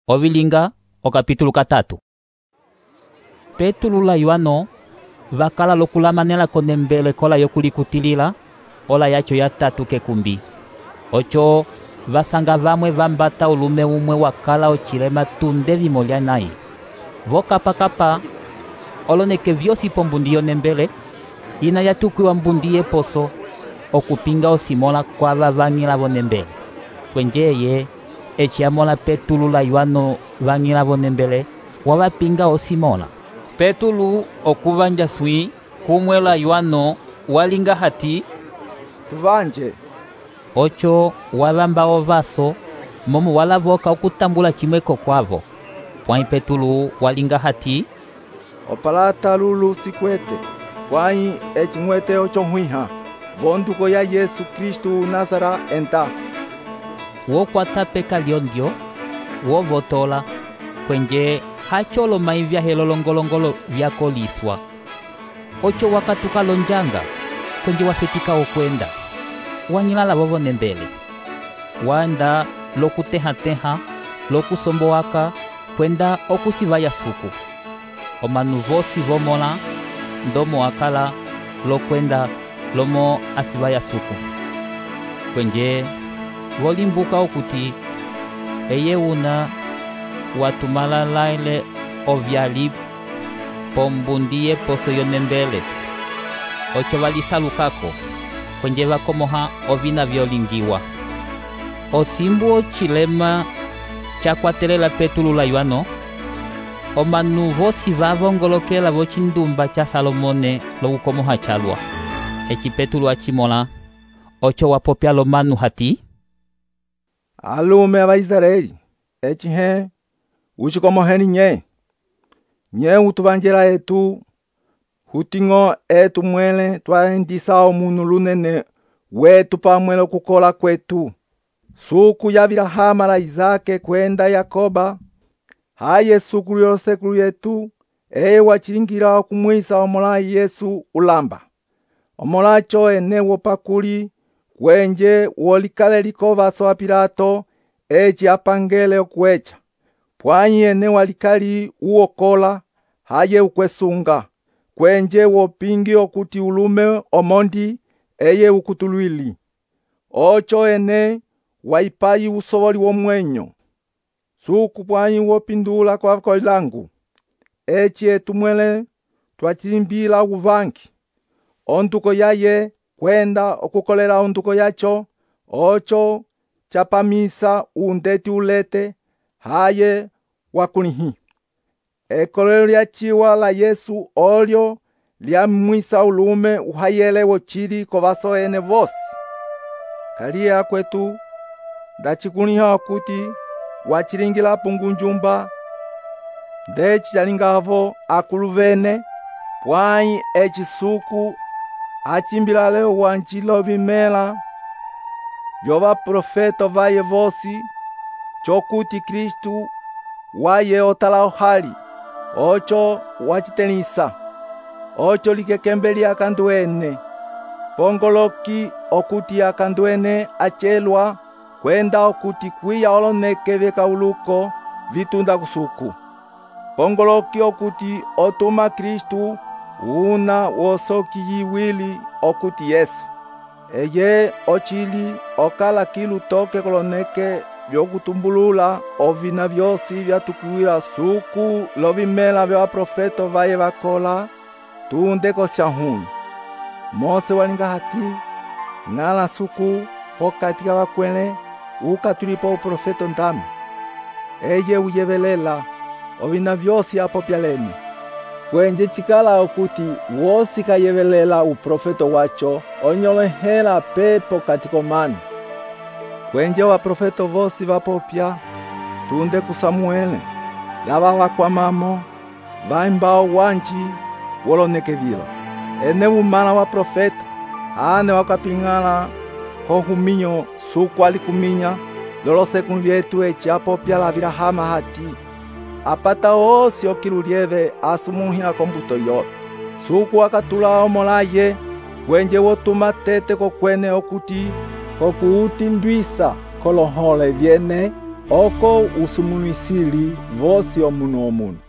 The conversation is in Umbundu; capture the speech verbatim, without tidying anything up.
Ovilinga okapitulu katatu. Petulu la Yohano vakala lokulamanela konembele kola yokulikutilila ola yacho ya tatu kekumbi. Ocho vasanga vamwe vambata ulume umwe wakala ochilema tunde vimolya nayi. Vokapakapa oloneke vyosi pombundi yonembele ina yatukiwa mbundi yeposo okupinga osimola kwa vavang'ila vonembele. Kwenjeye eci amola Petulu la Yohano vang'ila vonembele wavapinga osimola. Petulu okuvanja swi kumwe la Yohano walinga hati tuvanje. Ocho wavamba ovaso momo walavoka okutambula chimweko kwavo. Pwai Petulu walinga hati opalata lulu sikwete pwai echimwete ocho hwiha vonduko ya Yesu Kristu Nazara enta. Wokwata peka lyondyo wovotola kwenje hacholo mai vya helolongolongolo vyakoliswa. Ocho wakatuka lonjanga kwenje wafetika okwenda wanyilala vovo nembele wanda lokuteha-teha lokusombowaka kwenda okusivaya suku. Omanu vosi vomola ndomo akala lokwenda lomo asivaya suku. Kwenje volimbuka okuti eye una watumala laile ovyali pombundi yeposo yonembele. Ocho valisalukako kwenje vakomoha ovina vyolingiwa. Osimbu ochilema chakwatelela Petulu la Yohano omanu vosi vavongolokela vochindumba cha Salomone lokukomoha chalwa. Eci Petulu achimola ocho wapopya lomanu hati alume ava Israeli eci he uchikomoheni nye nye utuvanjela etu huting'o etu mwele twaendisa omunu lunene wetu pamwe lokukola kwetu. Suku ya Abilahama la Izake kwenda Yakoba haye suku yosekulu yetu eye wachilingila okumwisa omolayi Yesu ulamba. Omolacho ene wopakuli kwenje wolikale likovaso wa Pilato eci apangele okwecha. Pwanyi ene walikali uokola haye ukwesunga kwenje wopingi okuti ulume omondi eye ukutulwili. Ocho ene waipayi usovoli womwenyo. Suku pwanyi wopindula kwa koilangu eci etumwele twachilimbila uvangi onduko yaye kwenda okukolela onduko yacho. Ocho chapamisa undeti ulete haye wakulihi. Ekolelo lya chiwa la Yesu olyo lyamwisa ulume uhayele wochili kovaso ene vosi. Kalia kwetu ndachikuliha okuti wachilingila pungunjumba ndeci chalingavo akuluvene pwai eci suku achimbila leo wanjilo vimela vyova profeto vaye vosi chokuti Kristu waye otala ohali. Ocho wachitelisa. Ocho likekembeli akanduene pongoloki okuti akanduene achelwa kwenda okuti kwiya oloneke vyekauluko vitunda kusuku. Pongoloki okuti otuma Kristu una wosoki yiwili okuti Yesu. Eye ochili okala kilu toke koloneke vyokutumbulula ovina vyosi vyatukuwila suku lovimela vya profeto vaye vakola tunde kosyahunu. Mose walinga hati ng'ala suku pokati ka vakwele ukatulipo uprofeto ndame eye uyevelela ovina vyosi apopya lene. Kwenje chikala okuti wosi kayevelela uprofeto wacho onyolehela pepo katiko manu. Kwenje wa profeto vosi vapopya tunde ku Samuele lava vakwamamo vaimbao wanji woloneke vilo. Ene umala wa profeto ane wakapingala kohuminyo suku alikuminya lolosekulu vyetu eci apopya la Abilahama hati apata osi okilulieve asumuhila kombuto yobe. Suku akatula omolaye kwenje wotuma tete kokwene okuti kokuutindwisa kolohole vyene oko usumunisili vosi omunu omunu.